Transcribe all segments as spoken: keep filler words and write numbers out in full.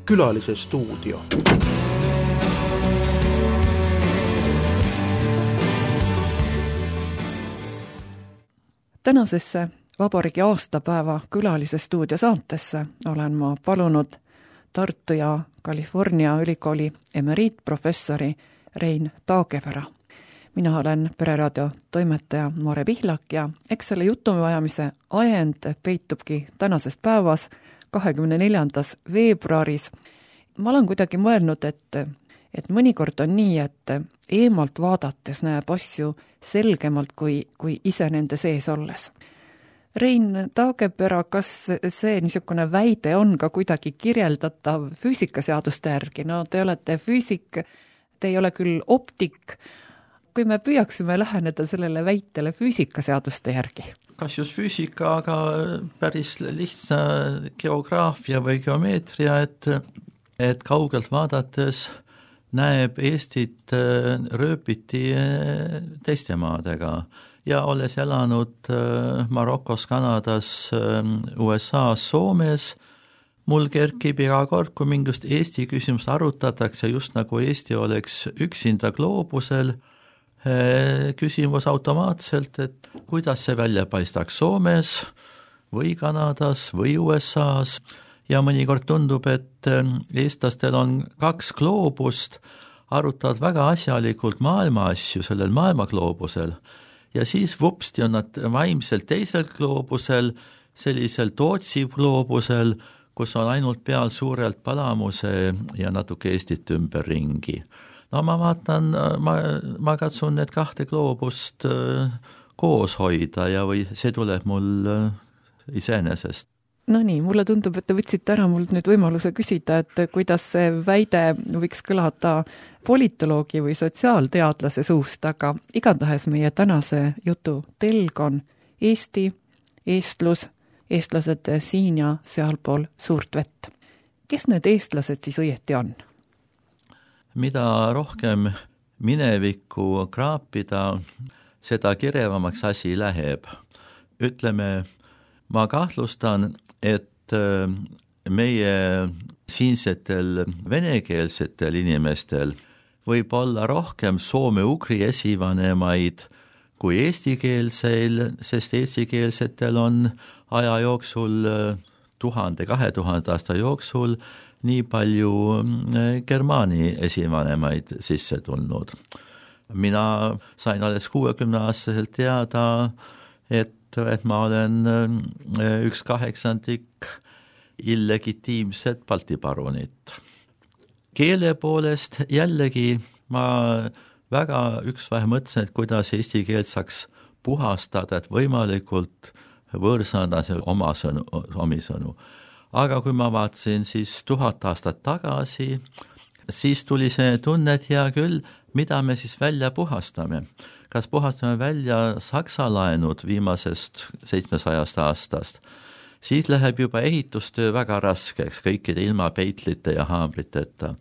Külalise stuudio. Tänasesse vabariigi aastapäeva Külalise stuudio saatesse olen ma palunud Tartu ja California ülikooli emeriitprofessori Rein Taagepera. Mina olen Pereraadio toimetaja Mare Pihlak ja eks selle jutuajamise ajend peitubki tänases päevas, kahekümne neljandas veebruaris. Ma olen kuidagi mõelnud, et, et mõnikord on nii, et eemalt vaadates näeb asju selgemalt kui, kui ise nende sees olles. Rein Taagepera, kas see niisugune väide on ka kuidagi kirjeldatav füüsikaseaduste järgi? No te olete füüsik, te ei ole küll optik. Kui me püüaksime läheneda sellele väitele füüsikaseaduste järgi? Kas just füüsika, aga päris lihtsa geograafia või geomeetria, et, et kaugelt vaadates näeb Eestit rööpiti teiste maadega. Ja olles elanud Marokos, Kanadas, U S A-s, Soomes, mul kerkib iga kord, kui mingist Eesti küsimust arutatakse, just nagu Eesti oleks üksinda gloobusel, küsimus automaatselt, et kuidas see välja paistaks Soomes või Kanadas või U S A-s. Ja mõnikord tundub, et eestlastel on kaks gloobust, arutavad väga asjalikult maailma asju sellel maailmagloobusel. Ja siis vupsti on nad vaimselt teisel gloobusel, sellisel Tootsi gloobusel, kus on ainult peal suurelt Palamuse ja natuke Eestit ümber ringi. No ma vaatan, ma, ma katsun need kahte gloobust koos hoida ja või see tuleb mul iseenesest. No nii, mulle tundub, et te võtsite ära mul nüüd võimaluse küsida, et kuidas see väide võiks kõlada politoloogi või sotsiaalteadlase suust, aga igatahes meie tänase jutu telg on Eesti, eestlus, eestlased siin ja sealpool suurt vett. Kes need eestlased siis õieti on? Mida rohkem minevikku kraapida, seda kirevamaks asi läheb. Ütleme, ma kahtlustan, et meie siinsetel venekeelsetel inimestel võib olla rohkem soome-ugri esivanemaid kui eestikeelseil, sest eestikeelsetel on aja jooksul tuhande, kahe tuhande aasta jooksul nii palju germaani esivanemaid sisse tulnud. Mina sain alles kuuekümne aastaselt teada, et et ma olen üks kaheksandik illegitiimset Balti parunit. Keele poolest jällegi ma väga üksvahe mõtlesin, et kuidas eesti keelt saaks puhastada, et võimalikult võõrsõnadase oma sõnu, omi sõnu. Aga kui ma vaatasin siis tuhat aastat tagasi, siis tuli see tunne, et hea küll, mida me siis välja puhastame. Kas puhastame välja saksa laenud viimasest seitsmesajast aastast, siis läheb juba ehitustöö väga raskeks, kõikide ilma peitlite ja haamriteta.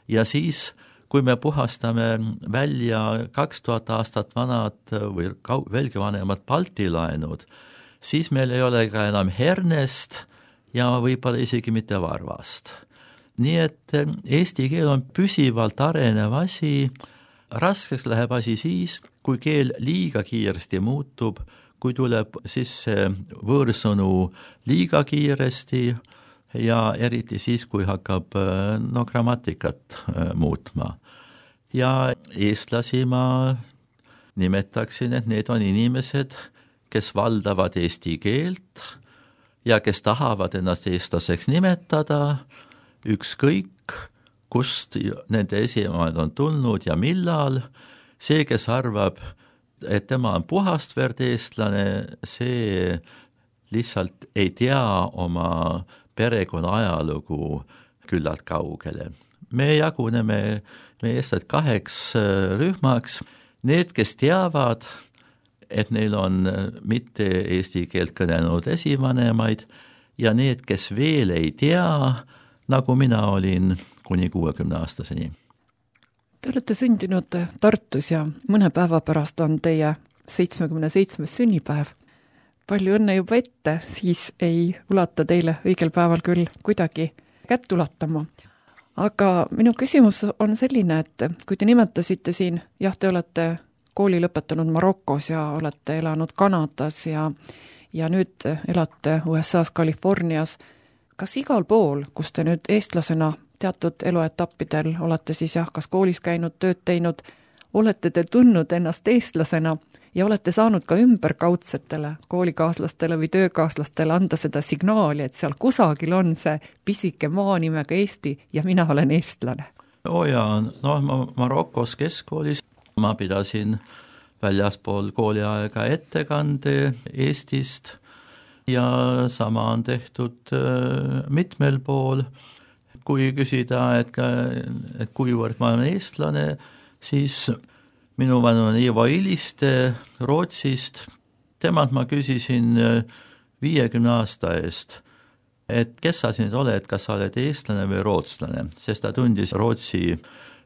Ja siis, kui me puhastame välja kaks tuhat aastat vanad või veelgi vanemad Balti laenud, siis meil ei ole ka enam hernest ja võib-olla isegi mitte varvast. Nii et eesti keel on püsivalt arenev asi. Raskeks läheb asi siis, kui keel liiga kiiresti muutub, kui tuleb sisse võõrsõnu liiga kiiresti ja eriti siis, kui hakkab no, grammatikat muutma. Ja eestlasi ma nimetaksin, et need on inimesed, kes valdavad eesti keelt ja kes tahavad ennast eestlaseks nimetada, ükskõik, kust nende esivanemad on tulnud ja millal. See, kes arvab, et tema on puhastverd eestlane, see lihtsalt ei tea oma perekonna ajalugu küllalt kaugele. Me jaguneme me eestlased kaheks rühmaks. Need, kes teavad, et neil on mitte eesti keelt kõnelenud esivanemaid ja need, kes veel ei tea, nagu mina olin kuni kuuekümne aastaseni. Te olete sündinud Tartus ja mõne päeva pärast on teie seitsmekümne seitsmes sünnipäev. Palju õnne juba ette, siis ei ulata teile õigel päeval küll kuidagi kätt ulatama. aga minu küsimus on selline, et kui te nimetasite siin, jah, te olete kooli lõpetanud Marokos ja olete elanud Kanadas ja, ja nüüd elate U S A-s Californias, kas igal pool, kus te nüüd eestlasena teatud eluetappidel olete siis jah, kas koolis käinud, tööd teinud, olete te tundnud ennast eestlasena ja olete saanud ka ümberkaudsetele koolikaaslastele või töökaaslastele anda seda signaali, et seal kusagil on see pisike maa nimega Eesti ja mina olen eestlane? oo jaa, noh, ma Marokos keskkoolis ma pidasin väljaspool kooliaega ettekande Eestist ja sama on tehtud mitmel pool. Kui küsida, et, et kuivõrd ma olen eestlane, siis minu vanune Ivo Iliste Rootsist, temalt ma küsisin viiekümne aasta eest, et kes sa siin oled, kas sa oled eestlane või rootslane, sest ta tundis Rootsi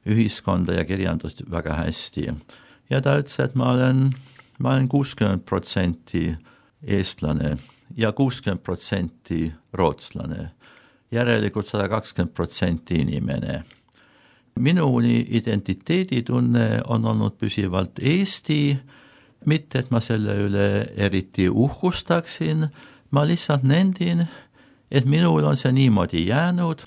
ühiskonda ja kirjandust väga hästi. Ja ta ütles, et ma olen, ma olen kuuskümmend protsenti eestlane ja kuuskümmend protsenti rootslane. Järelikult sada kakskümmend protsenti inimene. Minuni identiteeditunne on olnud püsivalt Eesti, mitte et ma selle üle eriti uhkustaksin, ma lihtsalt nendin, et minul on see niimoodi jäänud,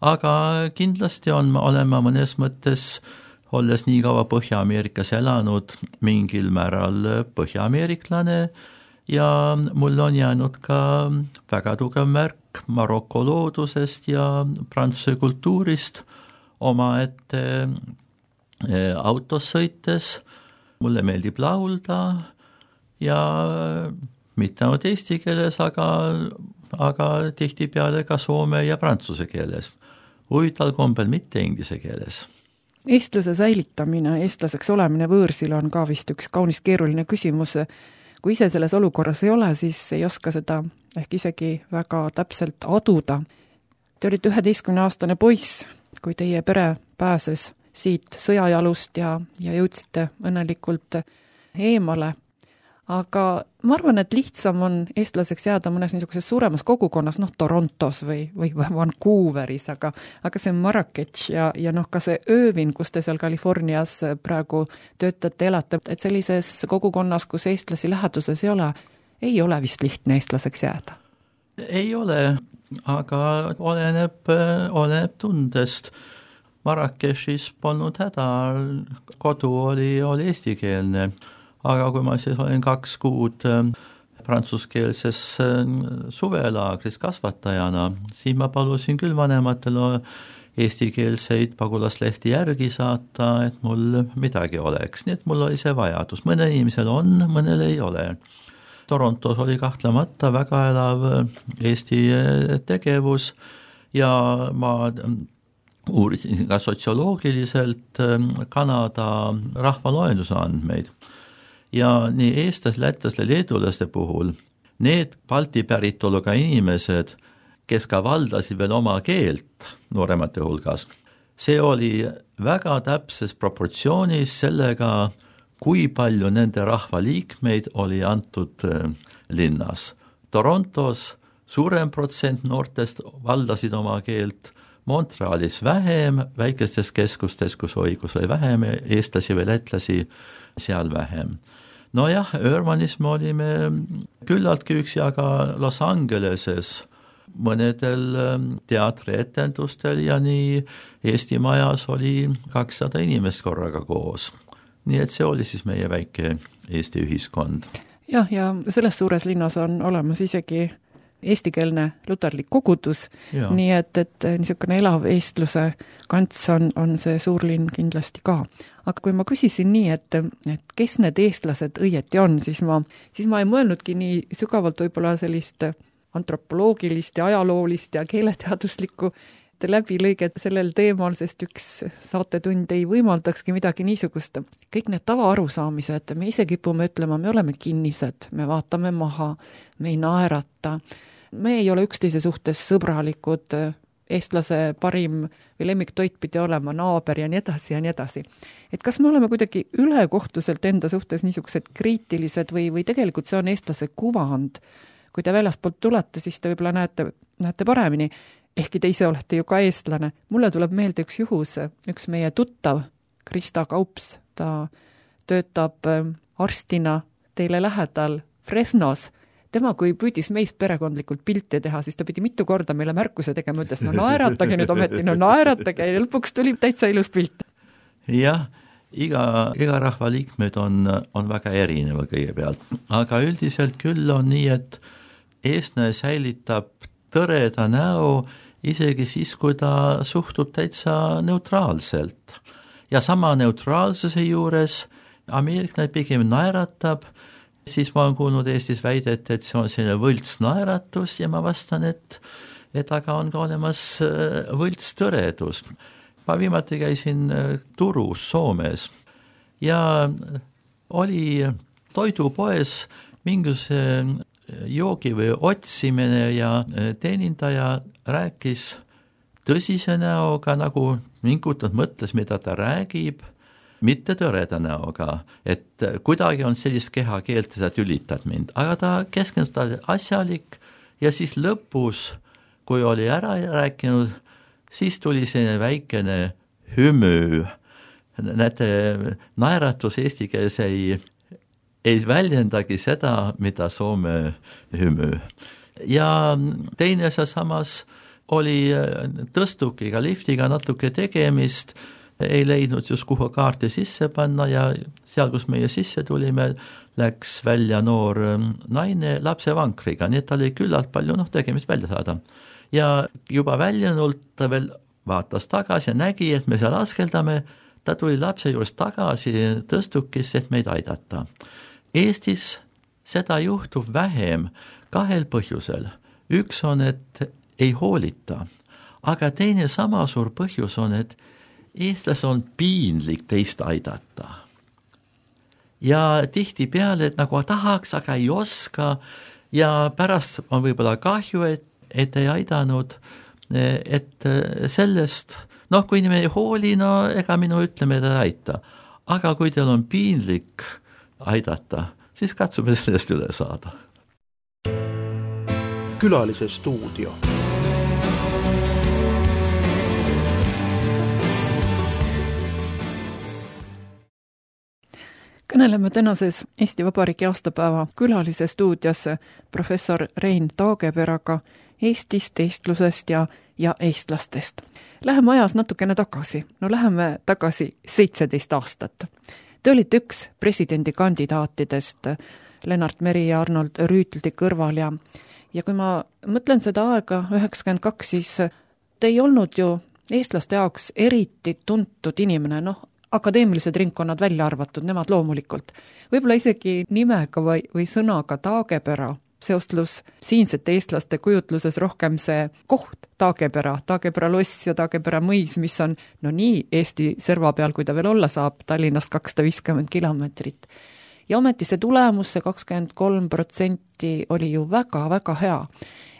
aga kindlasti on, olen ma mõnes mõttes, olles nii kaua Põhja-Ameerikas elanud, mingil määral põhja-ameeriklane ja mul on jäänud ka väga tugev märk Maroko loodusest ja prantsuse kultuurist omaette autos sõites. Mulle meeldib laulda ja mitte ainult eesti keeles, aga, aga tihtipeale ka soome ja prantsuse keeles. Huvitaval kombel mitte inglise keeles. Eestluse säilitamine, eestlaseks olemine võõrsil on ka vist üks kaunis keeruline küsimus. Kui ise selles olukorras ei ole, siis ei oska seda ehk isegi väga täpselt aduda. Te olite üheteistkümne aastane poiss, kui teie pere pääses siit sõjajalust ja, ja jõudsite õnnelikult eemale. Aga ma arvan, et lihtsam on eestlaseks jääda mõnes niisuguses suuremas kogukonnas, noh Torontos või, või Vancouveris, aga, aga see Marrakech ja, ja noh ka see Öövin, kus te seal Californias praegu töötate, elate, et sellises kogukonnas, kus eestlasi läheduses ei ole, ei ole vist lihtne eestlaseks jääda? Ei ole, aga oleneb, oleneb tundest. Marrakechis polnud häda, kodu oli, oli eestikeelne. Aga kui ma siis olin kaks kuud prantsuskeelses suvelaagris kasvatajana, siis ma palusin küll vanematel eestikeelseid pagulaslehti järgi saata, et mul midagi oleks. Nii et mul oli see vajadus. Mõne inimesel on, mõnel ei ole. Torontos oli kahtlemata väga elav Eesti tegevus ja ma uurisin ka sotsioloogiliselt Kanada rahvaloenduse andmeid. Ja nii eestlas, lätlasle, leedulaste puhul, need Balti päritoluga inimesed, kes ka valdasid veel oma keelt nooremate hulgas, see oli väga täpses proportsioonis sellega, kui palju nende rahvaliikmeid oli antud linnas. Torontos suurem protsent noortest valdasid oma keelt, Montrealis vähem, väikestes keskustes, kus oli, kus oli vähem eestlasi või lätlasi, seal vähem. No jah, Urbanis me olime küllaltki üksi, aga Los Angeleses mõnedel teatrietendustel ja nii Eesti majas oli kakssada inimest korraga koos. Nii et see oli siis meie väike Eesti ühiskond. Jah, ja selles suures linnas on olemas isegi eestikeelne luterlik kogudus, ja. Nii et, et niisugune elav eestluse kants on, on see suurlinn kindlasti ka. Aga kui ma küsisin nii, et, et kes need eestlased õieti on, siis ma, siis ma ei mõelnudki nii sügavalt võib-olla sellist antropoloogilist ja ajaloolist ja keeleteaduslikku läbilõiget sellel teemal, sest üks saatetund ei võimaldakski midagi niisugust. Kõik need tavaarusaamised, me ise kipume ütlema, me oleme kinnised, me vaatame maha, me ei naerata, me ei ole üksteise suhtes sõbralikud, eestlase parim või lemmiktoit pidi olema naaber ja nii edasi ja nii edasi. Et kas me oleme kuidagi ülekohtuselt enda suhtes niisugused kriitilised või, või tegelikult see on eestlase kuvand? Kui te väljastpoolt tulete, siis te võib-olla näete, näete paremini. ehkki te ise olete ju ka eestlane. Mulle tuleb meelde üks juhus, üks meie tuttav, Krista Kaups, ta töötab arstina teile lähedal Fresnos. Tema, kui püüdis meist perekondlikult pilti teha, siis ta pidi mitu korda meile märkuse tegema, ütles, no naeratage nüüd ometi, no naeratage ja lõpuks tuli täitsa ilus pilt. Jah, iga, iga rahva liikmed on, on väga erineva kõigepealt, aga üldiselt küll on nii, et eestlane säilitab tõreda näo isegi siis, kui ta suhtub täitsa neutraalselt. Ja sama neutraalsuse juures ameeriklane pigem naeratab, siis ma olen kuulnud Eestis väidet, et see on selline võlts naeratus ja ma vastan, et, et aga on ka olemas võlts tõredus. Ma viimati käisin Turus, Soomes ja oli toidupoes mingisuguse joogi või otsimine ja teenindaja rääkis tõsise näoga, nagu mingutult mõtles, mida ta räägib, mitte tõreda näoga, et kuidagi on sellist kehakeelt, sa tülitad mind, aga ta keskendus asjalik ja siis lõpus, kui oli ära rääkinud, siis tuli selline väikene hümü. Näete, naeratus eesti keeles ei, ei väljendagi seda, mida Soome hümü. Ja teine see samas oli tõstukiga, liftiga natuke tegemist, ei leidnud just kuhu kaarti sisse panna ja seal, kus meie sisse tulime, läks välja noor naine lapsevankriga, nii et ta oli küllalt palju noh, tegemist välja saada. Ja juba väljunult ta veel vaatas tagasi ja nägi, et me seal askeldame, ta tuli lapse juures tagasi tõstukisse, et meid aidata. Eestis seda juhtub vähem kahel põhjusel. Üks on, et ei hoolita, aga teine sama suur põhjus on, et eestlas on piinlik teist aidata. Ja tihti peale, et nagu tahaks, aga ei oska ja pärast on võib-olla kahju, et, et ei aidanud, et sellest, noh, kui inimene ei hooli, no ega minu ütleme, et ei aita. Aga kui teil on piinlik aidata, siis katsume sellest üle saada. Külalise stuudio. Kõneleme tänases Eesti Vabariigi aastapäeva külalise stuudios professor Rein Taageperaga Eestist, eestlusest ja, ja eestlastest. Läheme ajas natukene tagasi. No läheme tagasi seitseteist aastat. Te olite üks presidendikandidaatidest Lennart Meri ja Arnold Rüütldi kõrval ja, ja kui ma mõtlen seda aega üheksakümmend kaks, siis te ei olnud ju eestlaste jaoks eriti tuntud inimene, noh, akadeemilised ringkonnad välja arvatud, nemad loomulikult. Võib-olla isegi nimega või, või sõnaga Taagepera seostlus siinsete eestlaste kujutluses rohkem see koht Taagepera, Taagepera loss ja Taagepera mõis, mis on no nii Eesti serva peal, kui ta veel olla saab, Tallinnast kakssada viiskümmend kilomeetrit. Ja ometi see tulemus, see kakskümmend kolm protsenti oli ju väga-väga hea.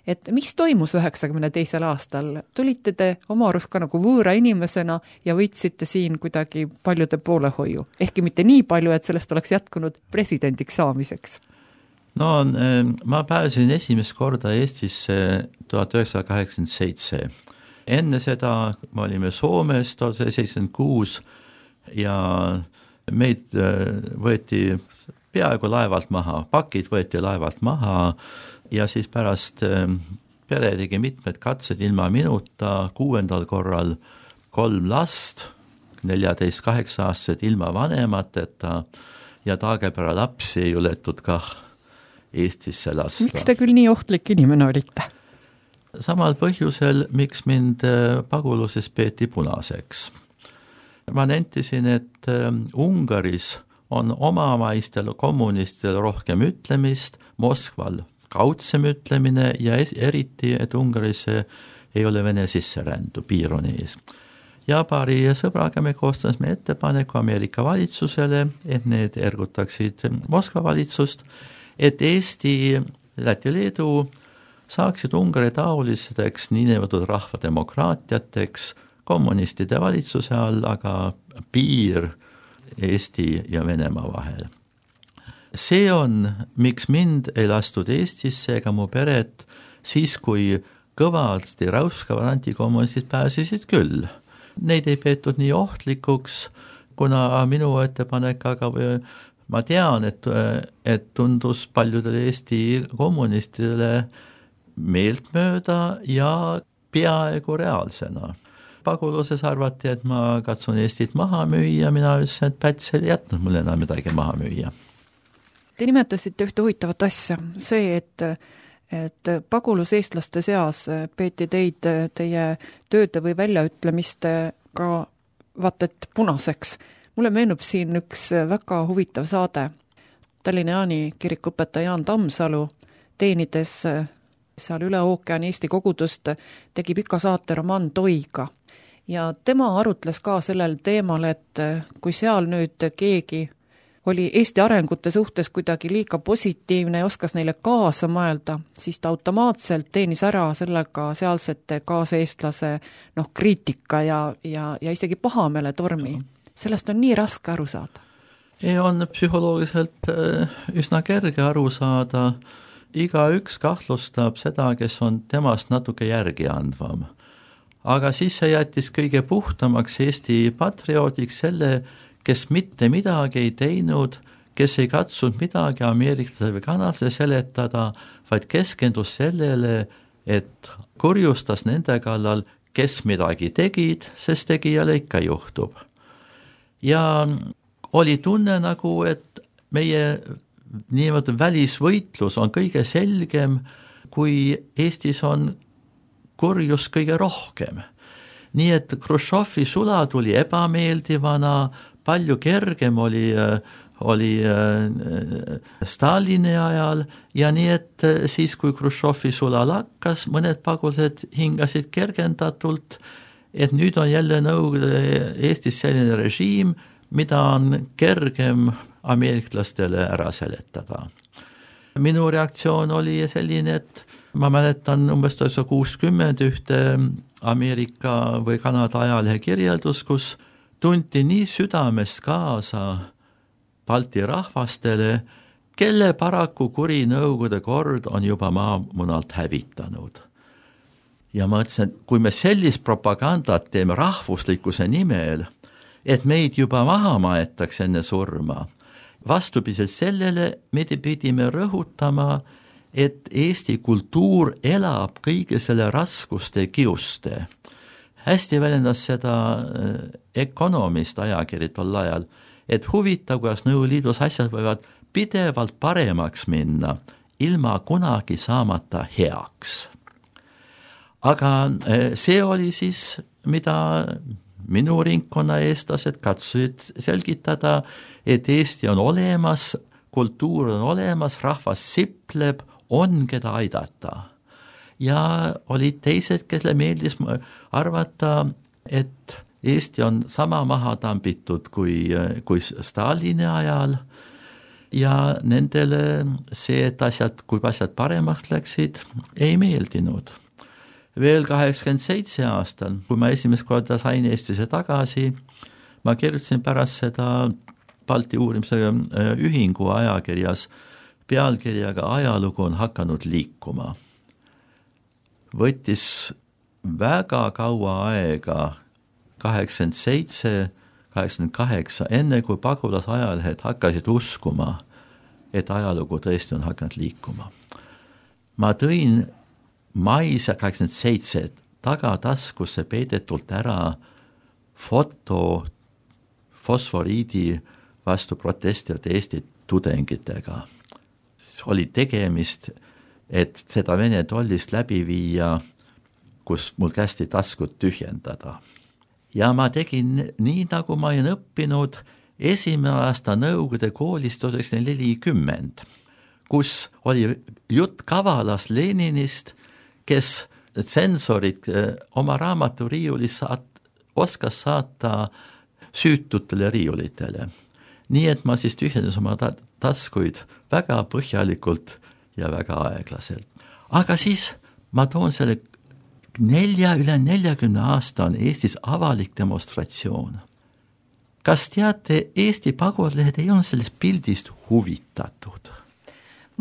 Et mis toimus üheksakümne teisel aastal? Tulite te oma arust ka nagu võõra inimesena ja võitsite siin kuidagi paljude poolehoiu. Ehkki mitte nii palju, et sellest oleks jätkunud presidendiks saamiseks. No, ma pääsin esimest korda Eestisse tuhat üheksasada kaheksakümmend seitse. Enne seda me olime Soomes tuhat üheksasada seitsekümmend kuus ja meid võeti peaaegu laevalt maha, pakid võeti laevalt maha ja siis pärast pere tegi mitmed katsed ilma minuta, kuuendal korral kolm last, neljateist kaheksa aastased ilma vanemateta ja Taagepera lapsi ei juletud kah Eestisse lasta. Miks te küll nii ohtlik inimene olite? Samal põhjusel, miks mind paguluses peeti punaseks. Ma nentisin, et Ungaris on omamaistel kommunistil rohkem ütlemist, Moskval kaudsem ütlemine ja eriti, et Ungaris ei ole vene sisserändu, piir on ees. Ja paari sõbraga me koostasime ettepaneku Ameerika valitsusele, et need ergutaksid Moskva valitsust, et Eesti, Läti, Leedu saaksid Ungari taolisteks niinimetatud rahvademokraatiateks kommunistide valitsuse all, aga piir Eesti ja Venemaa vahel. See on, miks mind ei lastud Eestisse ega mu peret siis, kui kõvasti räuskavad antikommunistid pääsesid küll. Neid ei peetud nii ohtlikuks, kuna minu ettepanek, aga ma tean, et, et tundus paljudele Eesti kommunistidele meeltmööda ja peaaegu reaalsena. Paguluses arvati, et ma katsun Eestit maha müüa, mina ütlesin, et Päts ei jätnud mulle enam midagi maha müüa. Te nimetasite ühte huvitavat asja, see, et, et paguluseestlaste seas peeti teid teie tööde või väljaütlemiste ka vaat et punaseks. Mulle meenub siin üks väga huvitav saade. Tallinna Jaani kirikuõpetaja Jaan Tammsalu teenides seal üle ookeani Eesti kogudust tegi pika saate romaan Toiga. Ja tema arutles ka sellel teemal, et kui seal nüüd keegi oli Eesti arengute suhtes kuidagi liiga positiivne ja oskas neile kaasa mõelda, siis ta automaatselt teenis ära sellega sealsete kaaseestlase noh, kriitika ja, ja, ja isegi pahamele tormi. Sellest on nii raske aru saada. Ei on psühholoogiliselt üsna kerge aru saada. Iga üks kahtlustab seda, kes on temast natuke järgi andvam. Aga siis see jättis kõige puhtamaks Eesti patrioodiks selle, kes mitte midagi ei teinud, kes ei katsunud midagi ameeriklase või kanadlase seletada, vaid keskendus sellele, et kurjustas nende kallal, kes midagi tegid, sest tegijale ikka juhtub. Ja oli tunne nagu, et meie niimoodi välisvõitlus on kõige selgem, kui Eestis on kurjus kõige rohkem. Nii et Khrushchevi sula tuli ebameeldivana, palju kergem oli, oli Stalini ajal ja nii et siis, kui Khrushchevi sula lakkas, mõned pagulased hingasid kergendatult, et nüüd on jälle Nõukogude Eestis selline režiim, mida on kergem ameeriklastele ära seletada. Minu reaktsioon oli selline, et ma mäletan umbes tuhat kuuskümmend ühte Ameerika või Kanada ajalehe kirjeldus, kus tunti nii südamest kaasa Balti rahvastele, kelle paraku kuri Nõukogude kord on juba maamunalt hävitanud. Ja ma ütlesin, et kui me sellist propagandat teeme rahvuslikkuse nimel, et meid juba maha maetakse enne surma, vastupidiselt sellele me pidime rõhutama, et Eesti kultuur elab kõige selle raskuste kiuste. Hästi väljendas seda Economist ajakiri tol ajal, et huvitav, kuidas Nõukogude asjad võivad pidevalt paremaks minna, ilma kunagi saamata heaks. Aga see oli siis, mida minu ringkonna eestlased katsusid selgitada, et Eesti on olemas, kultuur on olemas, rahvas sipleb, on keda aidata. Ja olid teised, kelle meeldis arvata, et Eesti on sama maha tambitud kui, kui Stalini ajal ja nendele see, et asjad, kui asjad paremaks läksid, ei meeldinud. Veel kaheksakümmend seitse aastal, kui ma esimest korda sain Eestisse tagasi, ma kirjutasin pärast seda Balti uurimise ühingu ajakirjas pealkirjaga Ajalugu on hakanud liikuma. Võttis väga kaua aega, kaheksakümmend seitse, kaheksakümmend kaheksa, enne kui pagulasajalehed hakkasid uskuma, et ajalugu tõesti on hakanud liikuma. Ma tõin mais kaheksakümmend seitse tagataskusse peidetult ära foto fosforiidi vastu protestijate Eesti tudengitega. Oli tegemist, et seda Vene tollist läbi viia, kus mul kästi taskut tühjendada. Ja ma tegin nii, nagu ma olen õppinud esimene aasta Nõukogude koolist tuhat üheksasada nelikümmend, kus oli jutt Kavalas Leninist, kes tsensorid oma raamatu riiulis saat, oskas saata süütutele riiulitele. Nii et ma siis tühjendas oma ta- taskuid väga põhjalikult ja väga aeglaselt. Aga siis ma toon selle nelja, üle neljakümne aasta on Eestis avalik demonstratsioon. Kas teate, Eesti pagulased ei olnud sellest pildist huvitatud?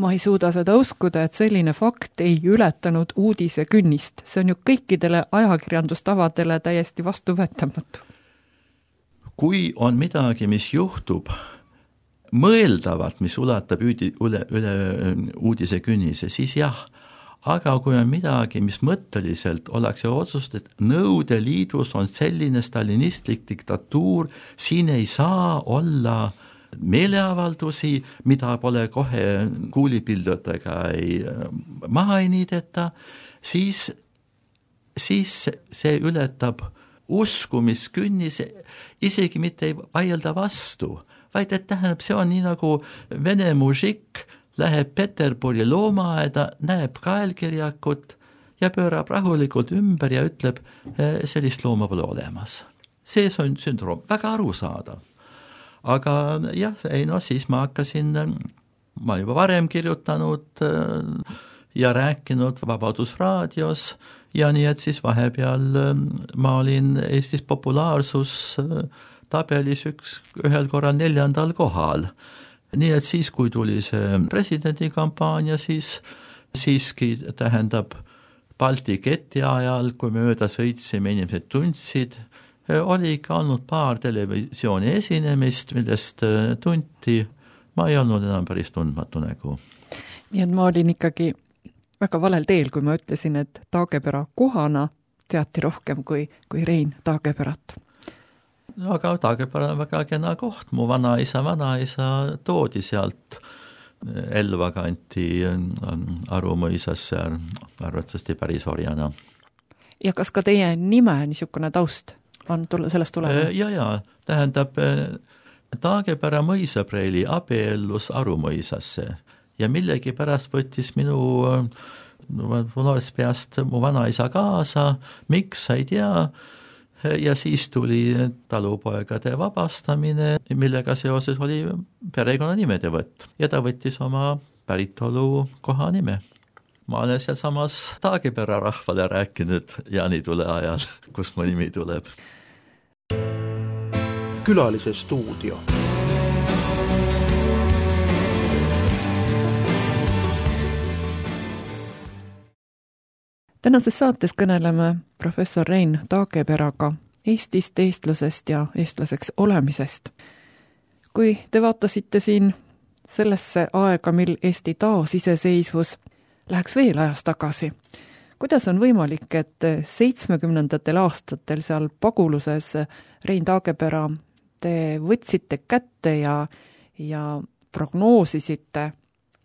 Ma ei suuda seda uskuda, et selline fakt ei ületanud uudise künnist. See on ju kõikidele ajakirjandustavadele täiesti vastuvõetamatu. Kui on midagi, mis juhtub mõeldavalt, mis ulatab üle, üle, üle uudise künnise, siis jah, aga kui on midagi, mis mõtteliselt oleks ju otsust, et Nõukogude Liidus on selline stalinistlik diktatuur, siin ei saa olla meeleavaldusi, mida pole kohe kuulipildudega ei maha ei niideta, siis, siis see ületab uskumiskünnis, isegi mitte ei vaielda vastu, vaid et tähendab, see on nii nagu vene mužik läheb Peterburi loomaaeda, näeb kaelkirjakut ja pöörab rahulikult ümber ja ütleb, sellist looma pole olemas. See on sündroom, väga arusaadav. Aga jah, ei no siis ma hakkasin, ma juba varem kirjutanud ja rääkinud Vabadusraadios ja nii, et siis vahepeal ma olin Eestis populaarsus tabelis üks, ühel korral neljandal kohal. Nii et siis, kui tuli see presidendikampaania, siis siiski tähendab Balti keti ajal, kui me mööda sõitsime, inimesed tundsid, oli ikka olnud paar televisiooni esinemist, millest tunti, ma ei olnud enam päris tundmatu nägu. Nii et ma olin ikkagi väga valel teel, kui ma ütlesin, et Taagepera kohana teati rohkem kui, kui Rein Taageperat. No aga Taagepera on väga kena koht, mu vanaisa, vanaisa toodi sealt Elva kanti Arumõisasse, arvatavasti päris orjana. Ja kas ka teie nime niisugune taust on sellest tulema? Ja, ja, tähendab, Taagepera mõisapreili abiellus Arumõisasse ja millegi pärast võttis minu noorest peast mu vanaisa kaasa, miks sa ei tea, ja siis tuli talupoegade vabastamine, millega seoses oli perekonna nimede võtt ja ta võttis oma päritolu koha nime. Ma olen seal samas Taagepera rahvale rääkinud jaanitule ajal, kus mu nimi tuleb. Külalise stuudio. Tänases saates kõneleme professor Rein Taageperaga Eestist, eestlusest ja eestlaseks olemisest. Kui te vaatasite siin sellesse aega, mil Eesti taas iseseisvus, läheks veel ajas tagasi. Kuidas on võimalik, et seitsmekümnendatel aastatel seal Paguluses Rein Taagepera te võtsite kätte ja, ja prognoosisite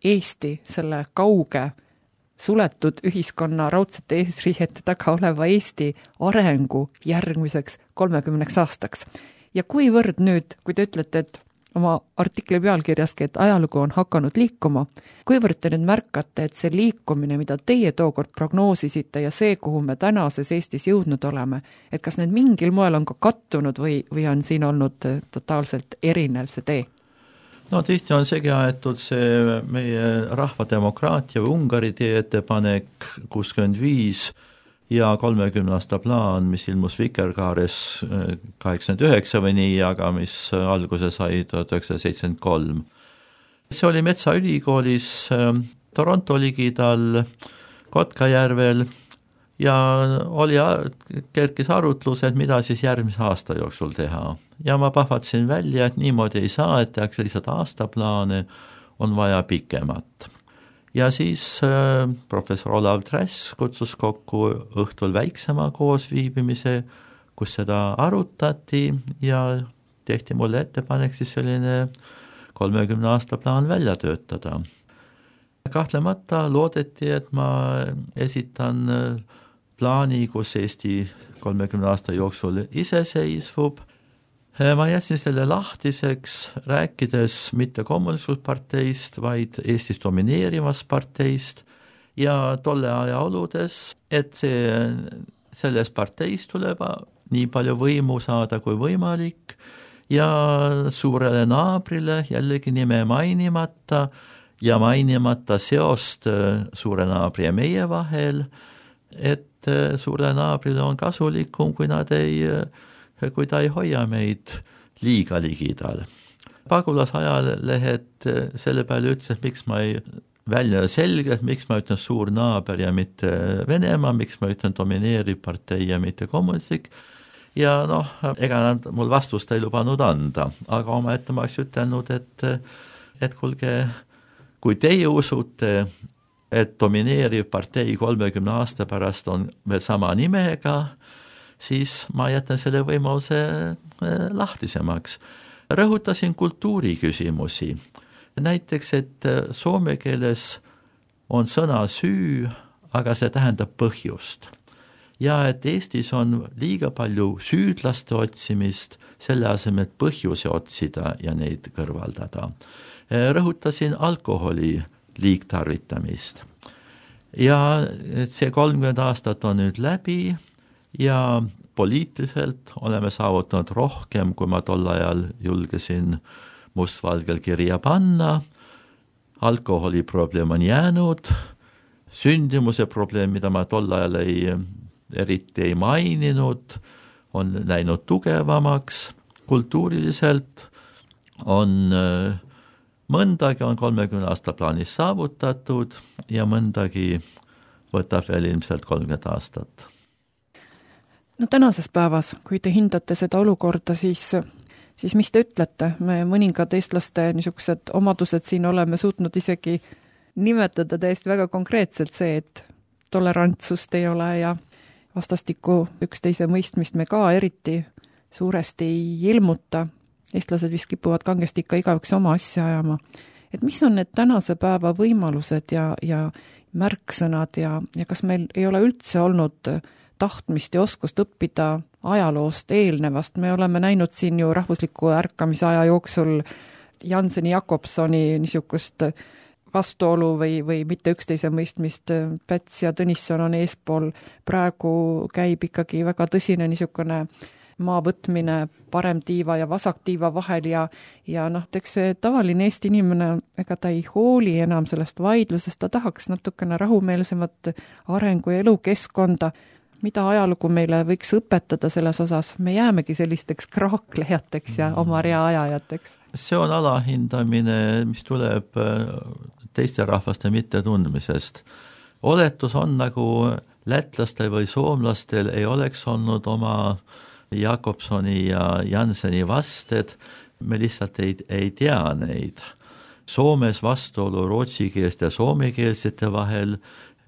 Eesti selle kauge suletud ühiskonna raudsete eesriiete taga oleva Eesti arengu järgmiseks kolmekümneks aastaks. Ja kuivõrd nüüd, kui te ütlete, et oma artikli pealkirjaski, et ajalugu on hakanud liikuma, kuivõrd te nüüd märkate, et see liikumine, mida teie tookord prognoosisite ja see, kuhu me tänases Eestis jõudnud oleme, et kas need mingil moel on ka kattunud või, või on siin olnud totaalselt erinev see tee? No tihti on segi aetud see meie rahvademokraatia või Ungari tee ettepanek kuuskümmend viis ja kolmekümne aasta plaan, mis ilmus Vikerkaares kaheksakümmend üheksa või nii, aga mis alguse sai tuhat üheksasada seitsekümmend kolm. See oli Metsaülikoolis Toronto ligidal Kotkajärvel ja oli, kerkis arutlus, et mida siis järgmise aasta jooksul teha. Ja ma pahvatsin välja, et niimoodi ei saa, et tehakse lihtsalt aastaplaane, on vaja pikemat. Ja siis äh, professor Olav Trass kutsus kokku õhtul väiksema koosviibimise, kus seda arutati ja tehti mulle ettepanek siis selline kolmekümne aasta plaan välja töötada. Kahtlemata loodeti, et ma esitan plaani, kus Eesti kolmekümne aasta jooksul iseseisvub. Ma jätsin selle lahtiseks, rääkides mitte kommunistparteist, vaid Eestis domineerivast parteist ja tolle aja oludes, et see, selles parteis tuleb nii palju võimu saada kui võimalik ja suurele naabrile jällegi nime mainimata ja mainimata seost suure naabri ja meie vahel, et suure naabrile on kasulikum, kui nad ei kui ta ei hoia meid liiga ligidal. Pagulas ajalehed selle peale ütles, et miks ma ei välja selgelt, miks ma ütlen suur naaber ja mitte Venemaa, miks ma ütlen domineeriv partei ja mitte kommunistlik, ja noh, ega nad mul vastust ei lubanud anda, aga oma ette ma oleks ütelnud, et, et kuulge, kui teie usute, et domineeriv partei kolmekümne aasta pärast on veel sama nimega, siis ma jätan selle võimaluse lahtisemaks. Rõhutasin kultuuri küsimusi. Näiteks, et soome keeles on sõna süü, aga see tähendab põhjust. Ja et Eestis on liiga palju süüdlaste otsimist, selle asemel põhjuse otsida ja neid kõrvaldada. Rõhutasin alkoholi liigtarvitamist. Ja see kolmkümmend aastat on nüüd läbi ja poliitiliselt oleme saavutanud rohkem, kui ma tol ajal julgesin mustvalgel kirja panna. Alkoholi probleem on jäänud, sündimuse probleem, mida ma tol ajal ei, eriti ei maininud, on läinud tugevamaks, kultuuriliselt on mõndagi on kolmekümne aasta plaanis saavutatud ja mõndagi võtab veel ilmselt kolmkümmend aastat. No tänases päevas, kui te hindate seda olukorda, siis, siis mis te ütlete? Me mõningad eestlaste niisugused omadused siin oleme suutnud isegi nimetada täiesti väga konkreetselt see, et tolerantsust ei ole ja vastastikku üksteise mõistmist me ka eriti suuresti ei ilmuta. Eestlased vist kipuvad kangesti ikka igaüks oma asja ajama. Et mis on need tänase päeva võimalused ja, ja märksõnad ja, ja kas meil ei ole üldse olnud tahtmist ja oskust õppida ajaloost eelnevast? Me oleme näinud siin ju rahvusliku ärkamise aja jooksul Janseni Jakobsoni niisugust vastuolu või, või mitte üksteise mõistmist. Päts ja Tõnisson on eespool. Praegu käib ikkagi väga tõsine niisugune maa võtmine parem tiiva ja vasak tiiva vahel ja, ja noh, teks see tavaline Eesti inimene, ega ta ei hooli enam sellest vaidlusest, ta tahaks natukene rahumeelsemat arengu ja elukeskkonda. Mida ajalugu meile võiks õpetada selles osas? Me jäämegi sellisteks kraaklejateks ja oma rea ajajateks. See on alahindamine, mis tuleb teiste rahvaste mitte tundmisest. Oletus on nagu lätlastel või soomlastel ei oleks olnud oma Jakobsoni ja Janseni vasted, me lihtsalt ei, ei tea neid. Soomes vastuolu rootsikeelsete ja soomekeelsete vahel,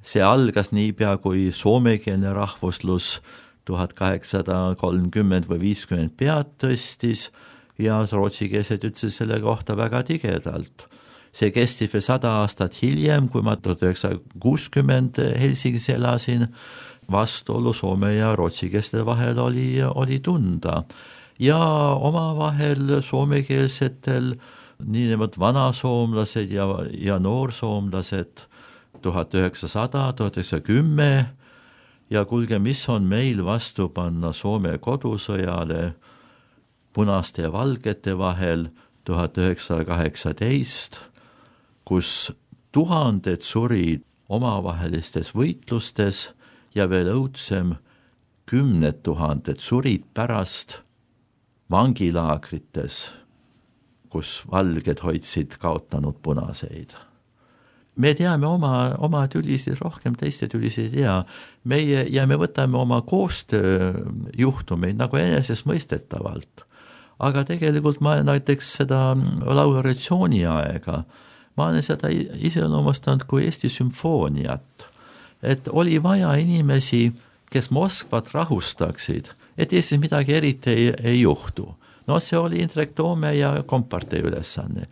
see algas niipea, kui soomekeelne rahvuslus tuhat kaheksasada kolmkümmend või viiskümmend pead tõstis ja rootsikeelsed ütlesid selle kohta väga tigedalt. See kestis veel sada aastat hiljem, kui ma tuhat üheksasada kuuskümmend Helsingis elasin, vastuolu soome ja rootsikeelsete vahel oli, oli tunda. Ja omavahel soomekeelsetel niinimetatud vanasoomlased ja, ja noorsoomlased tuhat üheksasada, tuhat üheksasada kümme ja kuulge, mis on meil vastu panna Soome kodusõjale punaste ja valgete vahel tuhat üheksasada kaheksateist, kus tuhanded surid omavahelistes võitlustes ja veel õudsem, kümned tuhanded surid pärast vangilaagrites, kus valged hoidsid kaotanud punaseid. Me teame oma, oma tülisid rohkem, teiste tülisid ei tea. Meie, ja me võtame oma koostööjuhtumeid nagu enesestmõistetavalt. Aga tegelikult ma näiteks seda laureatsiooni aega, ma olen seda iseloomustanud kui Eesti sümfooniat. Et oli vaja inimesi, kes Moskvat rahustaksid, et Eestis midagi eriti ei, ei juhtu. No see oli Indrek Toome ja kompartei ülesanne.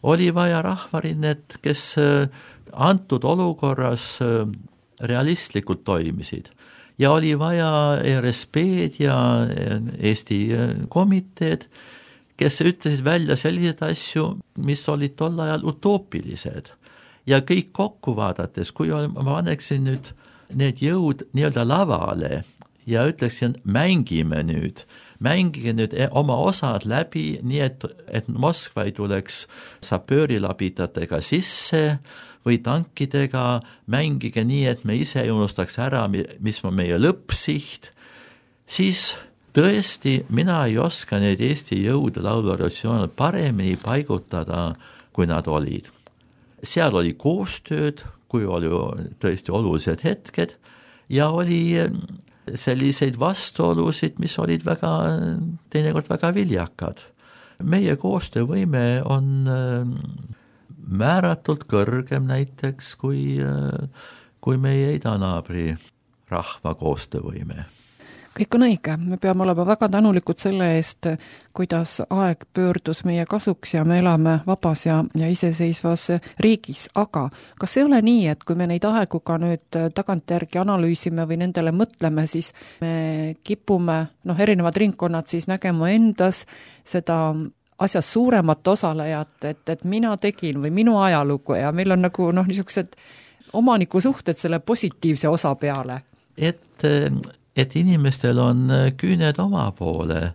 Oli vaja rahvarinnet, kes antud olukorras realistlikult toimisid. Ja oli vaja R S P-d ja Eesti komiteed, kes ütlesid välja sellised asju, mis olid tol ajal utoopilised. Ja kõik kokku vaadates, kui ma paneksin nüüd need jõud nii-öelda lavale ja ütleksin, mängime nüüd, mängige nüüd oma osad läbi, nii et, et Moskva ei tuleks sapöörilabitatega sisse või tankidega, mängige nii, et me ise ei unustaks ära, mis on meie lõppsiht, siis tõesti mina ei oska neid Eesti jõude lauluratsioone paremini paigutada, kui nad olid. seal oli koostööd, kui oli tõesti olulised hetked ja oli selliseid vastuolusid, mis olid väga, teinekord väga viljakad. Meie koostöövõime on määratult kõrgem näiteks kui, kui meie idanaabri rahva koostöövõime. Kõik on õige, me peame olema väga tänulikud selle eest, kuidas aeg pöördus meie kasuks ja me elame vabas ja, ja iseseisvas riigis, aga kas ei ole nii, et kui me neid aegu ka nüüd tagantjärgi analüüsime või nendele mõtleme, siis me kipume, noh, erinevad ringkonnad siis nägema endas seda asjas suuremat osalejat, et, et mina tegin või minu ajalugu ja meil on nagu noh, niisugused omanikusuhted selle positiivse osa peale. Et et inimestel on küüned oma poole,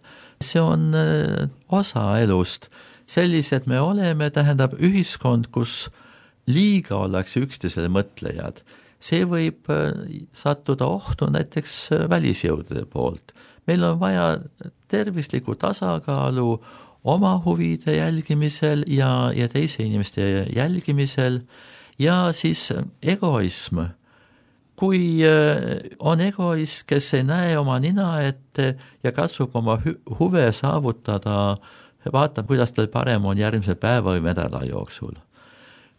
see on osa elust. Sellised me oleme, tähendab ühiskond, kus liiga ollakse üksteisele mõtlejad. See võib sattuda ohtu näiteks välisjõudude poolt. Meil on vaja tervislikku tasakaalu oma huvide jälgimisel ja, ja teise inimeste jälgimisel ja siis egoism. Kui on egoist, kes ei näe oma nina ette ja katsub oma huve saavutada, vaatab, kuidas tal parem on järgmise päeva või nädala jooksul.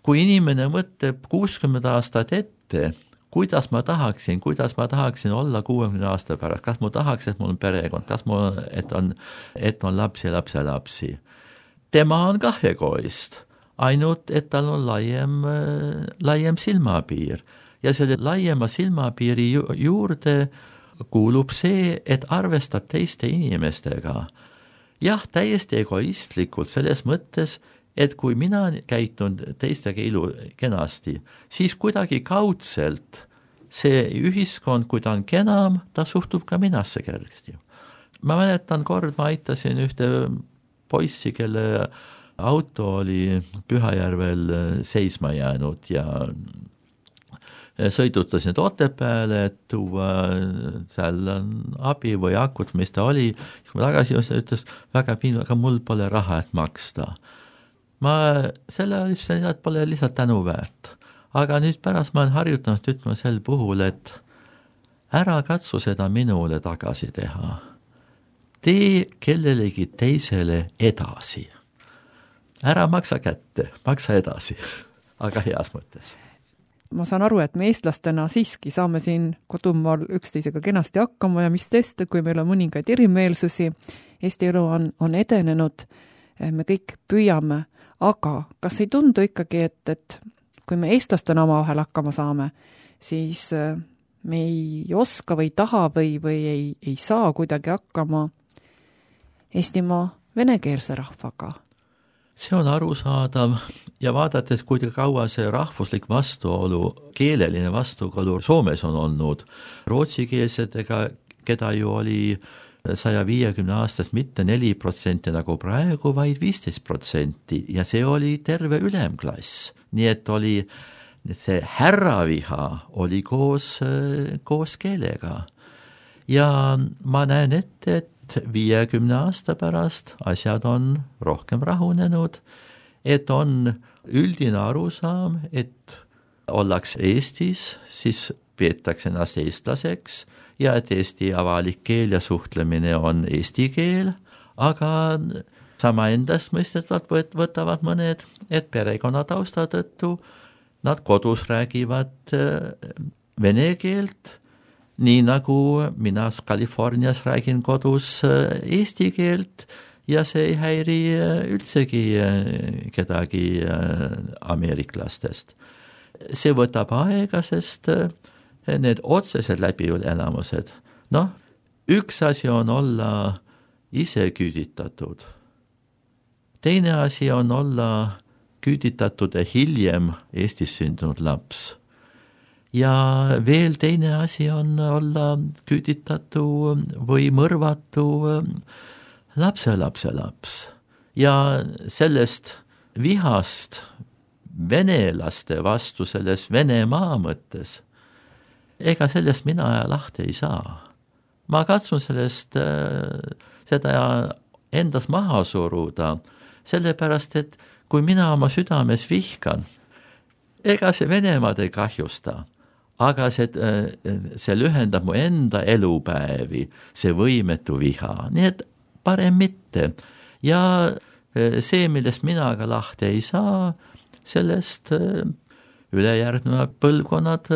Kui inimene mõtleb kuuskümmend aastat ette, kuidas ma tahaksin, kuidas ma tahaksin olla kuuekümne aasta pärast, kas ma tahaks, et mul on perekond, kas mul et on, et on lapsi ja lapse lapsi. Tema on kah egoist, ainult et tal on laiem, laiem silmapiir. Ja selle laiema silmapiiri juurde kuulub see, et arvestab teiste inimestega. Jah, täiesti egoistlikult selles mõttes, et kui mina käitun teistega ilu kenasti, siis kuidagi kaudselt see ühiskond, kui ta on kenam, ta suhtub ka minasse kergesti. Ma mäletan kord, ma aitasin ühte poissi, kelle auto oli Pühajärvel seisma jäänud ja sõidutasin Otepääle, et tuua seal abi või akut, mis ta oli. Kui ma tagasi ütles, väga piinu, aga mul pole raha, et maksta. Ma selle lihtsalt pole lihtsalt tänu väärt. Aga nüüd pärast ma olen harjutanud ütlema sel puhul, et ära katsu seda minule tagasi teha. Tee kellelegi teisele edasi. Ära maksa kätte, maksa edasi, aga heas mõttes. Ma saan aru, et me eestlastena siiski saame siin kodumaal üksteisega kenasti hakkama ja mis testa, kui meil on mõningaid erimeelsusi. Eesti elu on, on edenenud, me kõik püüame, aga kas ei tundu ikkagi, et, et kui me eestlastena omavahel hakkama saame, siis me ei oska või taha või, või ei, ei saa kuidagi hakkama Eestimaa venekeelse rahvaga. See on arusaadav ja vaadates, kui kaua see rahvuslik vastuolu, keeleline vastuolu Soomes on olnud, rootsikeelsetega, keda ju oli saja viiekümne aastast mitte neli protsenti nagu praegu, vaid viisteist protsenti ja see oli terve ülemklass. Nii et oli see härraviha oli koos, koos keelega. Ja ma näen ette, et viiekümne aasta pärast asjad on rohkem rahunenud, et on üldine arusaam, et ollakse Eestis, siis peetakse ennast eestlaseks ja et Eesti avalik keel ja suhtlemine on eesti keel, aga sama endast mõistetavalt võtavad mõned, et perekonna tausta tõttu nad kodus räägivad vene keelt, nii nagu mina Californias räägin kodus eesti keelt ja see ei häiri üldsegi kedagi ameeriklastest. See võtab aega, sest need otsesed läbielamused, noh, üks asi on olla ise küüditatud. Teine asi on olla küüditatud hiljem Eestis sündinud laps. Ja veel teine asi on olla küüditatu või mõrvatu lapse lapse laps. Ja sellest vihast venelaste vastu selles Venemaa mõttes, ega sellest mina lahti ei saa. Ma katsun sellest seda endas maha suruda, sellepärast, et kui mina oma südames vihkan, ega see Venemaad ei kahjusta, aga see, see lühendab mu enda elupäevi, see võimetu viha, nii et parem mitte. Ja see, millest mina ka lahti ei saa, sellest ülejärgnevad põlvkonnad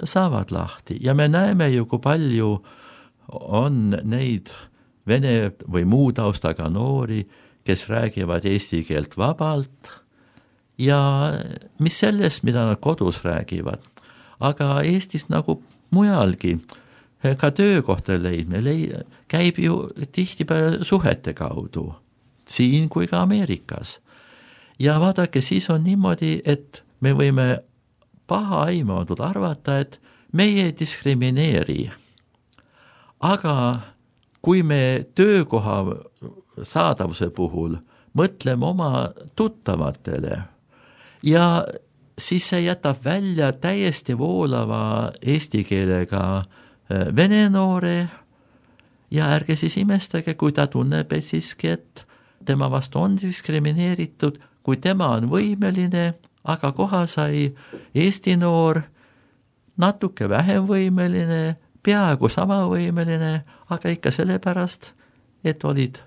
saavad lahti. Ja me näeme ju, kui palju on neid vene või muu taustaga noori, kes räägivad eesti keelt vabalt ja mis sellest, mida nad kodus räägivad. Aga Eestis nagu mujalgi, ka töökohta leidme, leid, käib ju tihtipeale suhete kaudu, siin kui ka Ameerikas. Ja vaadake, siis on niimoodi, et me võime paha aimatud arvata, et meie ei diskrimineeri. Aga kui me töökoha saadavuse puhul mõtleme oma tuttavatele ja siis see jätab välja täiesti voolava eesti keelega vene noore ja ärge siis imestage, kui ta tunneb et siiski, et tema vastu on diskrimineeritud, kui tema on võimeline, aga koha sai eesti noor natuke vähem võimeline, peaaegu sama võimeline, aga ikka sellepärast, et olid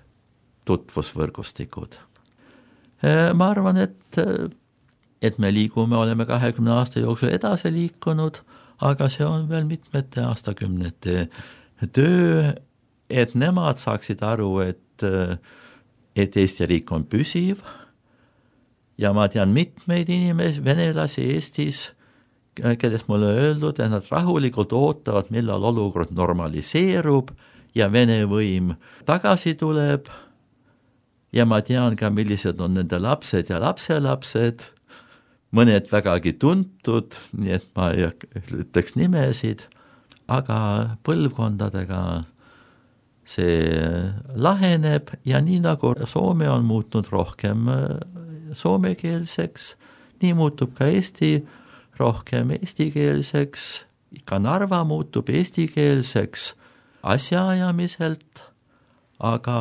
tutvusvõrgustikud. Ma arvan, et, et me liigume, oleme kahekümne aasta jooksul edasi liikunud, aga see on veel mitmete aastakümnete töö, et nemad saaksid aru, et, et Eesti riik on püsiv ja ma tean mitmeid inimesi, venelasi Eestis, kellest mulle öeldud, et nad rahulikult ootavad, millal olukord normaliseerub ja Vene võim tagasi tuleb ja ma tean ka, millised on nende lapsed ja lapselapsed, mõned vägagi tuntud, nii et ma ei ütleks nimesid, aga põlvkondadega see laheneb ja nii nagu Soome on muutnud rohkem soomekeelseks, nii muutub ka Eesti rohkem eestikeelseks, ka Narva muutub eestikeelseks asjaajamiselt, aga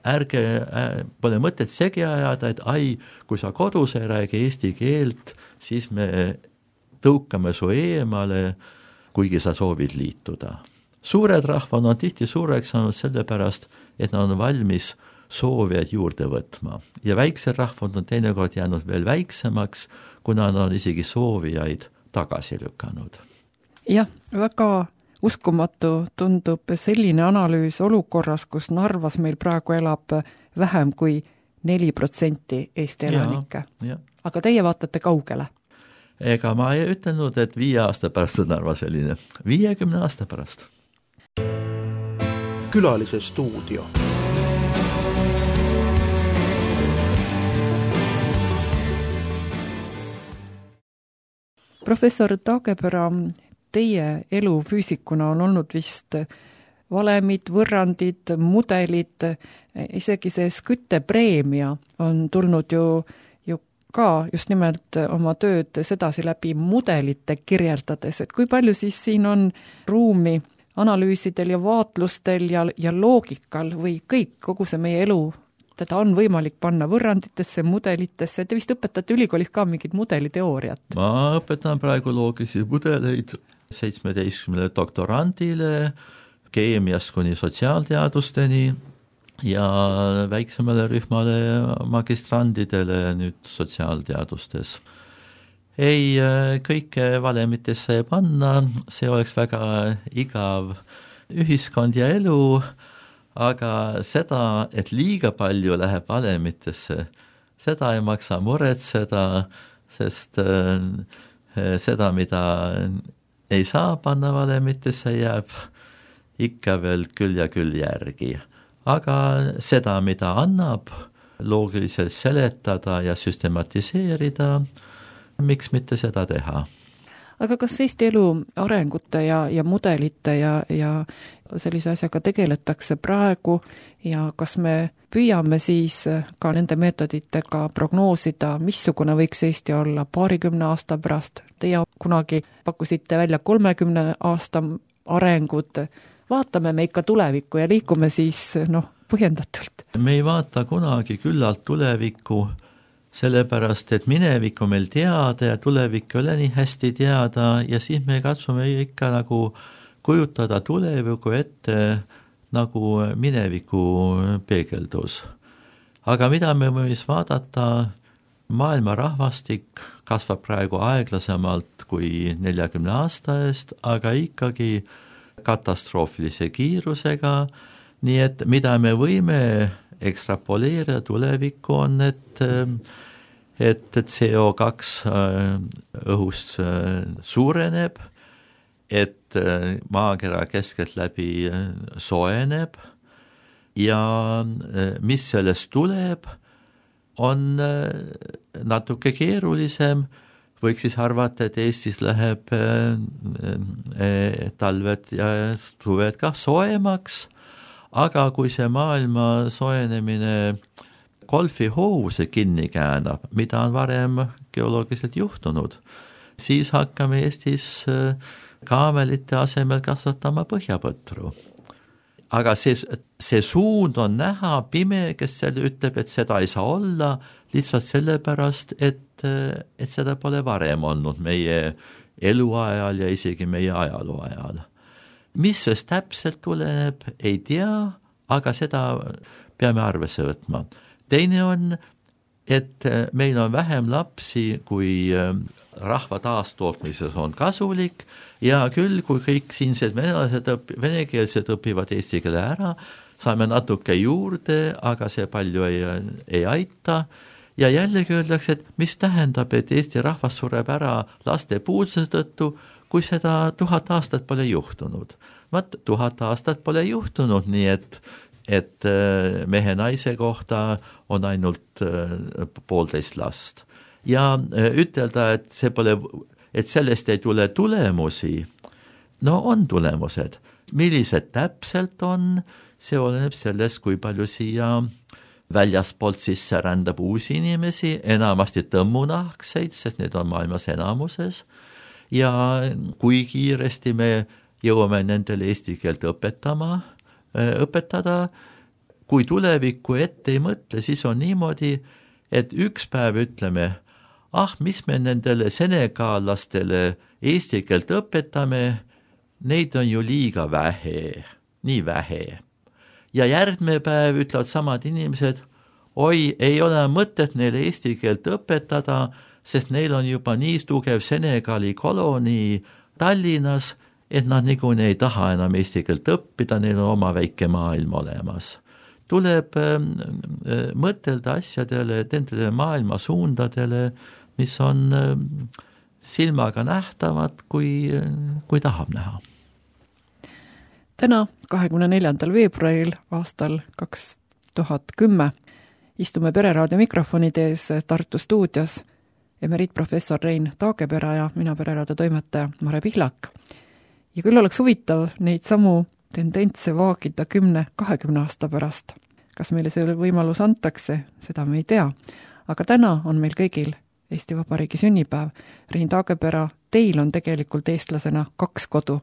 ärge, pole mõtet segi ajada, et ai, kui sa kodus ei räägi eesti keelt, siis me tõukame su eemale, kuigi sa soovid liituda. Suured rahvad on tihti suureks saanud sellepärast, et nad on valmis soovijaid juurde võtma. Ja väiksed rahvad on teinekord jäänud veel väiksemaks, kuna nad on isegi soovijaid tagasi lükanud. Jah, väga uskumatu tundub selline analüüs olukorras, kus Narvas meil praegu elab vähem kui neli protsenti Eesti elanikke. Aga teie vaatate kaugele? Ega ma ei ütelnud, et viie aasta pärast on Narva selline. viiekümne aasta pärast. Külalise stuudio. Professor Taagepera, teie elu füüsikuna on olnud vist valemid, võrrandid, mudelid, isegi see Skytte-preemia on tulnud ju, ju ka just nimelt oma tööd sedasi läbi mudelite kirjeldades, et kui palju siis siin on ruumi analüüsidel ja vaatlustel ja, ja loogikal või kõik, kogu see meie elu, teda on võimalik panna võrranditesse, mudelitesse, te vist õpetate ülikoolis ka mingit mudeliteooriat? Ma õpetan praegu loogilisi mudeleid seitsmeteistkümnele doktorandile, keemiast kuni sotsiaalteadusteni ja väiksemale rühmale magistrandidele nüüd sotsiaalteadustes. Ei, kõike valemitesse ei panna, see oleks väga igav ühiskond ja elu, aga seda, et liiga palju läheb valemitesse, seda ei maksa muretseda, sest seda, mida ei saa panna valemitesse, jääb ikka veel küll ja küll järgi. Aga seda, mida annab loogiliselt seletada ja süstematiseerida, miks mitte seda teha? Aga kas Eesti elu arengute ja, ja mudelite ja, ja sellise asjaga tegeletakse praegu ja kas me püüame siis ka nende meetoditega prognoosida, missugune võiks Eesti olla paarikümne aasta pärast? Teie kunagi pakkusite välja kolmekümne aasta arengud. Vaatame me ikka tulevikku ja liikume siis noh, põhjendatult. Me ei vaata kunagi küllalt tulevikku sellepärast et minevik on meil teada ja tulevik ei ole nii hästi teada ja siis me katsume ikka nagu kujutada tuleviku ette nagu mineviku peegeldus. Aga mida me võime vaadata, maailma rahvastik kasvab praegu aeglasemalt kui neljakümne aasta eest, aga ikkagi katastroofilise kiirusega, nii et mida me võime ekstrapoleerida tulevikku on, et, et C O kaks õhust suureneb, et maakera keskelt läbi soojeneb ja mis sellest tuleb, on natuke keerulisem, võiks siis arvata, et Eestis läheb talved ja suved ka soojemaks, aga kui see maailma soojenemine golfihoovuse kinni käänab, mida on varem geoloogiliselt juhtunud, siis hakkame Eestis kaamelite asemel kasvatama põhjapõtru. Aga see, see suund on näha, pime, kes selle ütleb, et seda ei saa olla, lihtsalt sellepärast, et, et seda pole varem olnud meie eluajal ja isegi meie ajaloo ajal. Mis sest täpselt tuleneb, ei tea, aga seda peame arvesse võtma. Teine on, et meil on vähem lapsi, kui rahva taastootmises on kasulik ja küll, kui kõik siinsed venelased õpi, venekeelsed õpivad eesti keele ära, saame natuke juurde, aga see palju ei, ei aita. Ja jällegi öeldakse, et mis tähendab, et Eesti rahvas sureb ära laste puuduse tõttu, kui seda tuhat aastat pole juhtunud. Vaat tuhat aastat pole juhtunud, nii et, et mehe naise kohta on ainult poolteist last. Ja ütelda, et, see pole, et sellest ei tule tulemusi, no on tulemused. Millised täpselt on, see oleneb sellest, kui palju siia väljaspoolt sisse rändab uusi inimesi, enamasti tõmmunahkseid, sest need on maailmas enamuses, ja kui kiiresti me jõuame nendele eesti keelt õpetama, õpetada, kui tulevikku ette ei mõtle, siis on niimoodi, et üks päev ütleme, ah, mis me nendele senegaalastele eesti keelt õpetame, neid on ju liiga vähe, nii vähe. Ja järgmine päev ütlevad samad inimesed, oi, ei ole mõtet neile eesti keelt õpetada, sest neil on juba nii tugev Senegali kolonii Tallinnas, et nad niikuinii ei taha enam eesti keelt õppida, neil on oma väike maailm olemas. Tuleb äh, mõtelda asjadele, nendele maailma suundadele, mis on äh, silmaga nähtavad, kui, kui tahab näha. Täna, kahekümne neljandal veebruaril aastal kaks tuhat kümme istume Pereraadio mikrofonide ees Tartu stuudios emeriitprofessor Rein Taagepera ja mina Pereraadio toimetaja Mare Pihlak. Ja küll oleks huvitav neid samu tendentse vaagida kümne, kahekümne aasta pärast. Kas meile see võimalus antakse, seda me ei tea. Aga täna on meil kõigil Eesti Vabariigi sünnipäev. Rein Taagepera, teil on tegelikult eestlasena kaks kodu.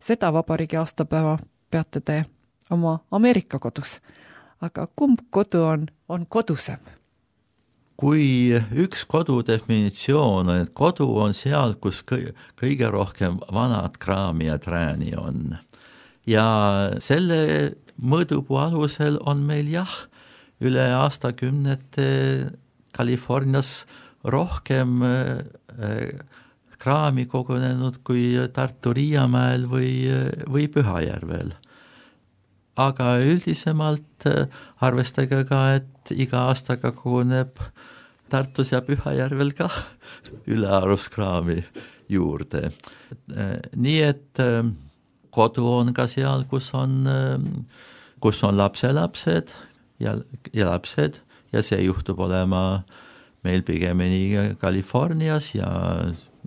Seda vabariigi aastapäeva peate te oma Ameerika kodus. Aga kumb kodu on, on kodusem? Kui üks kodu definitsioon on, et kodu on seal, kus kõige rohkem vanad kraami ja trääni on. Ja selle mõõdupuu alusel on meil jah, üle aastakümnete Californias rohkem kraami kogunenud kui Tartu Riiamäel või, või Pühajärvel. Aga üldisemalt arvestage ka, et iga aastaga koguneb Tartus ja Pühajärvel ka ülearust kraami juurde. Nii et kodu on ka seal, kus on, kus on lapselapsed ja, ja lapsed ja see juhtub olema meil pigemini Californias ja,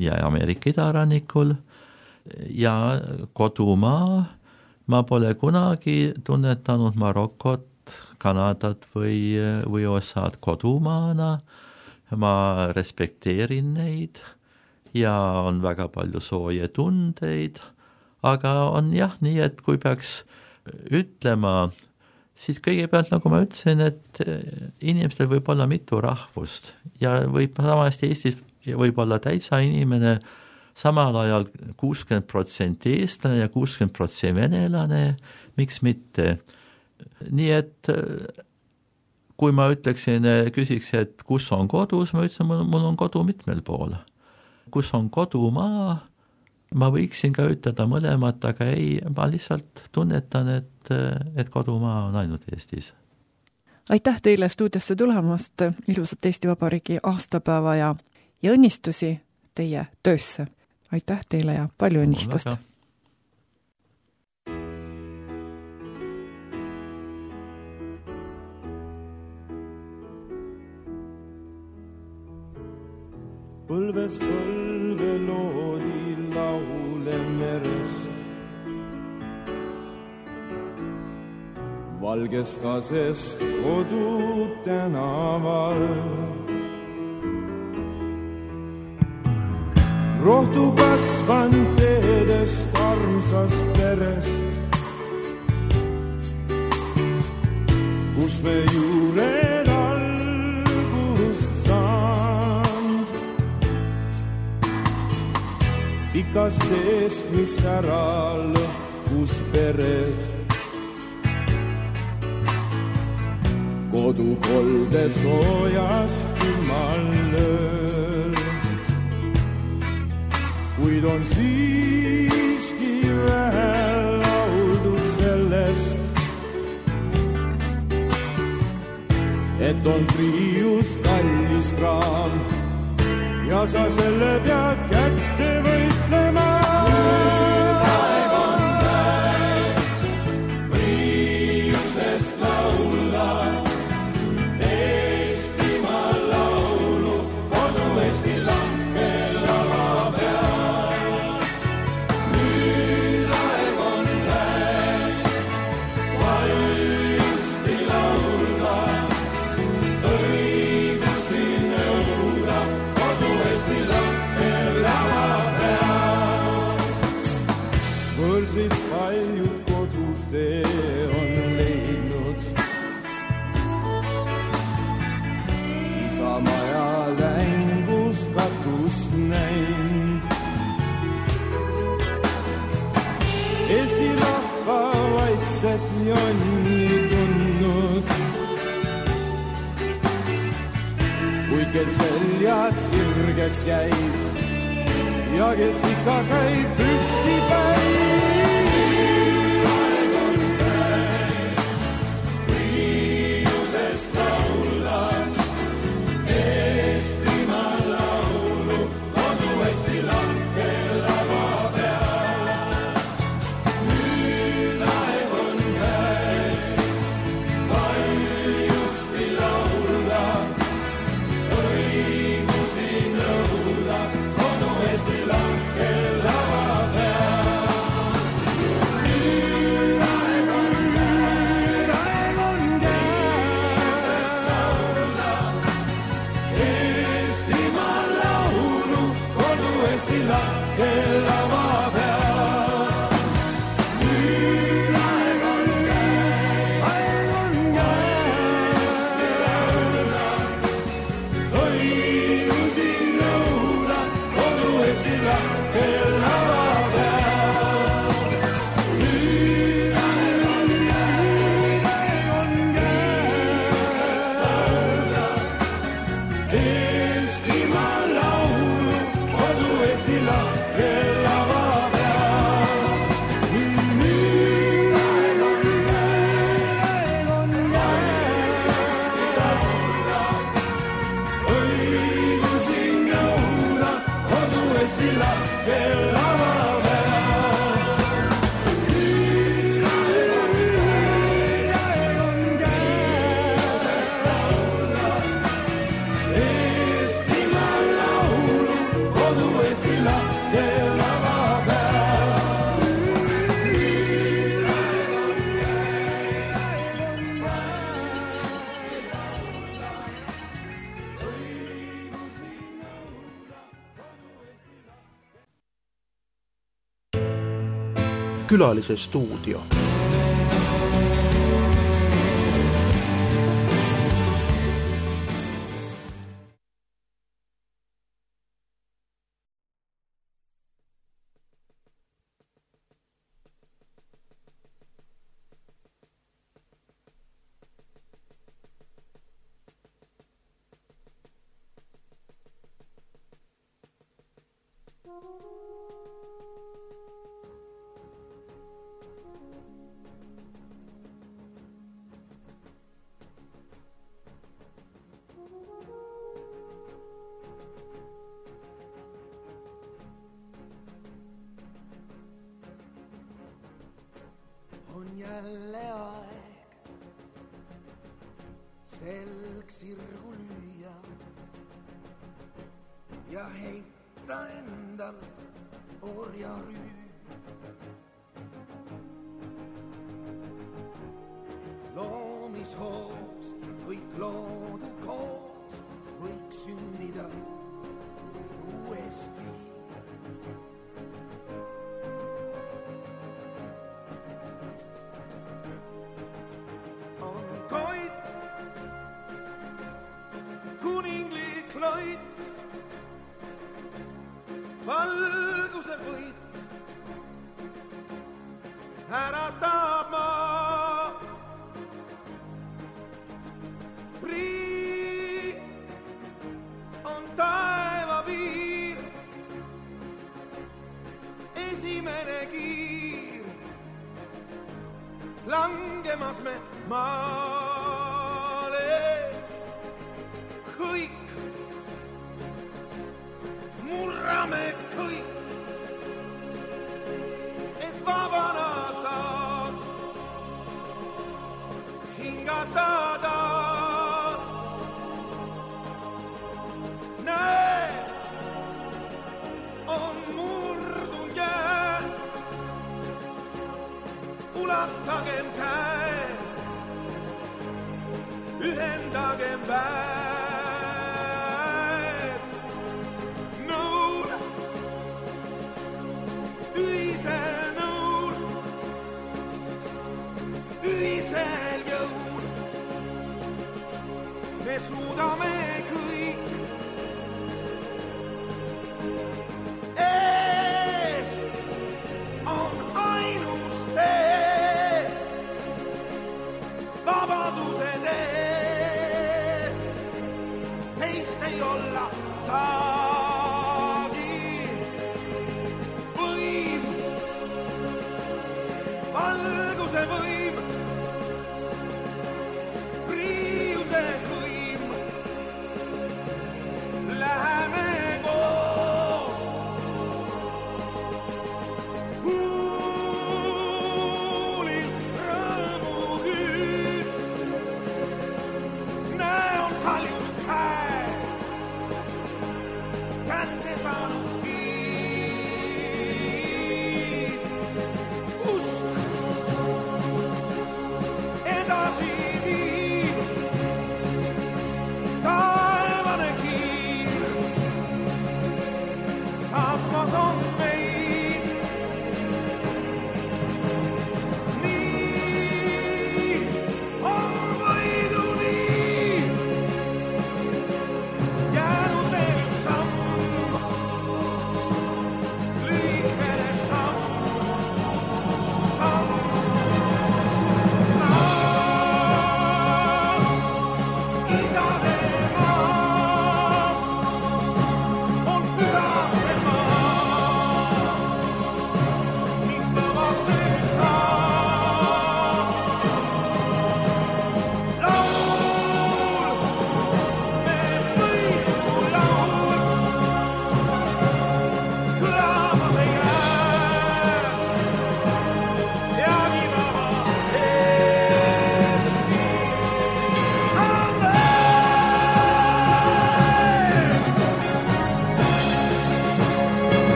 ja Ameerika idarannikul ja kodumaa. Ma pole kunagi tunnetanud Marokot, Kanadat või, või U S A-d kodumaana. Ma respekteerin neid ja on väga palju sooje tundeid, aga on jah nii, et kui peaks ütlema, siis kõigepealt, nagu ma ütlesin, et inimestel võib olla mitu rahvust ja võib samasti Eestis võib olla täitsa inimene samal ajal kuuskümmend protsenti eestlane ja kuuskümmend protsenti venelane, miks mitte. Nii et kui ma ütleksin, küsiks, et kus on kodus, ma ütlesin, mul, mul on kodu mitmel pool. Kus on kodumaa, ma võiksin ka ütelda mõlemat, aga ei, ma lihtsalt tunnetan, et, et kodumaa on ainult Eestis. Aitäh teile stuudiosse tulemast, ilusat Eesti Vabariigi aastapäeva ja, ja õnnistusi teie töösse. Aitäh teile ja palju õnnistust! Põlves põlve loodi laule merest. Valges kasest kodu tänaval. Rohtu kasvan teedest armsast perest, kus me juured algust saand. Pikast teest, mis ära lõhkus pered, kodu kolde soojas külmal lööl. Kuid on siiski vähe lauldud sellest, et on triius kallis kraam ja sa selle pead kätte võitlema. Aeg on käes triiusest laula, Eestimaa laulu, kodu Eesti lahke lava peal. Nüüd aeg on käes valjusti laulda, õigusi nõuda, kodu Eesti lahke lava peal. Võrsid paljud kodutee on leidnud, Isamaja längus katust näinud. Eesti rahva vaikset jonni tundnud, kuid kel seljad sirgeks jäid ja kes ikka käib püsti päid. Aeg on käes priiusest laula, Eestimaa laulu, kodu Eesti lahke lava peal. Nüüd aeg on käes valjusti laula, õigusi nõuda, kodu Eesti lahke lava peal. Nüüd aeg on käes, aeg on käes laula, Eestimaa laulu, kodu Eesti lahke lava peal. Nüüd aeg on käes, aeg on käes laula, õigusi nõuda, kodu Eesti lahke lava peal. Nüüd aeg on käes, aeg on käes laula, Eestimaa laulu, kodu Eesti lahke lava peal. Nüüd aeg on käes, aeg on käes laula, õigusi nõuda, kodu Eesti lahke lava peal. Nüüd aeg on käes, aeg on käes laula, Eestimaa laulu, kodu Eesti lahke lava peal. Nüüd aeg on käes, aeg on käes õigusi nõuda, kodu Eesti lahke. Külalise stuudio. jälle aeg selg sirgu lüüa ja heita endalt orjarüü. Loomishoos kõik loodu koos võiks sünnida uuesti. On koit, kuninglik loit, valguse võit, äratab maa. Prii on taeva piir, esimene kiir, langemas me maale. Kõik, murrame kõik, et vabana saaks hingata taas. Näe, on murdun jää, ulatagem käed, ühendagem väed. Nõul, ühisel nõul, ühisel jõul me suudame